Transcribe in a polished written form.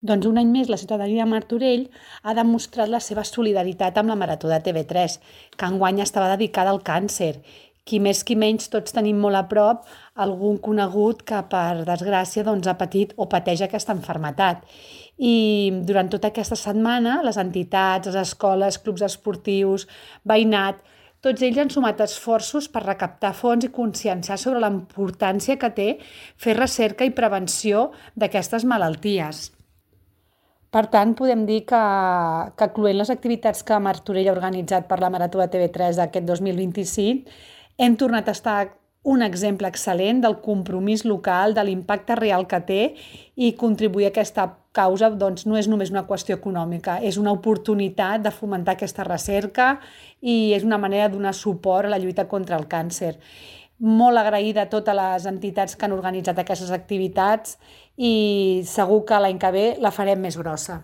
Doncs un any més la ciutadania de Martorell ha demostrat la seva solidaritat amb la Marató de TV3, que enguany estava dedicada al càncer. Qui més qui menys tots tenim molt a prop algun conegut que per desgràcia ha patit o pateix aquesta malaltia. I durant tota aquesta setmana les entitats, les escoles, clubs esportius, veïnat, tots ells han sumat esforços per recaptar fons i conscienciar sobre la importància que té fer recerca i prevenció d'aquestes malalties. Per tant, podem dir que cloent les activitats que Martorell ha organitzat per la Marató de TV3 d'aquest 2025, hem tornat a estar un exemple excel·lent del compromís local, de l'impacte real que té i contribuir a aquesta causa no és només una qüestió econòmica, és una oportunitat de fomentar aquesta recerca i és una manera de donar suport a la lluita contra el càncer. Molt agraïda a totes les entitats que han organitzat aquestes activitats i segur que l'any que ve la farem més grossa.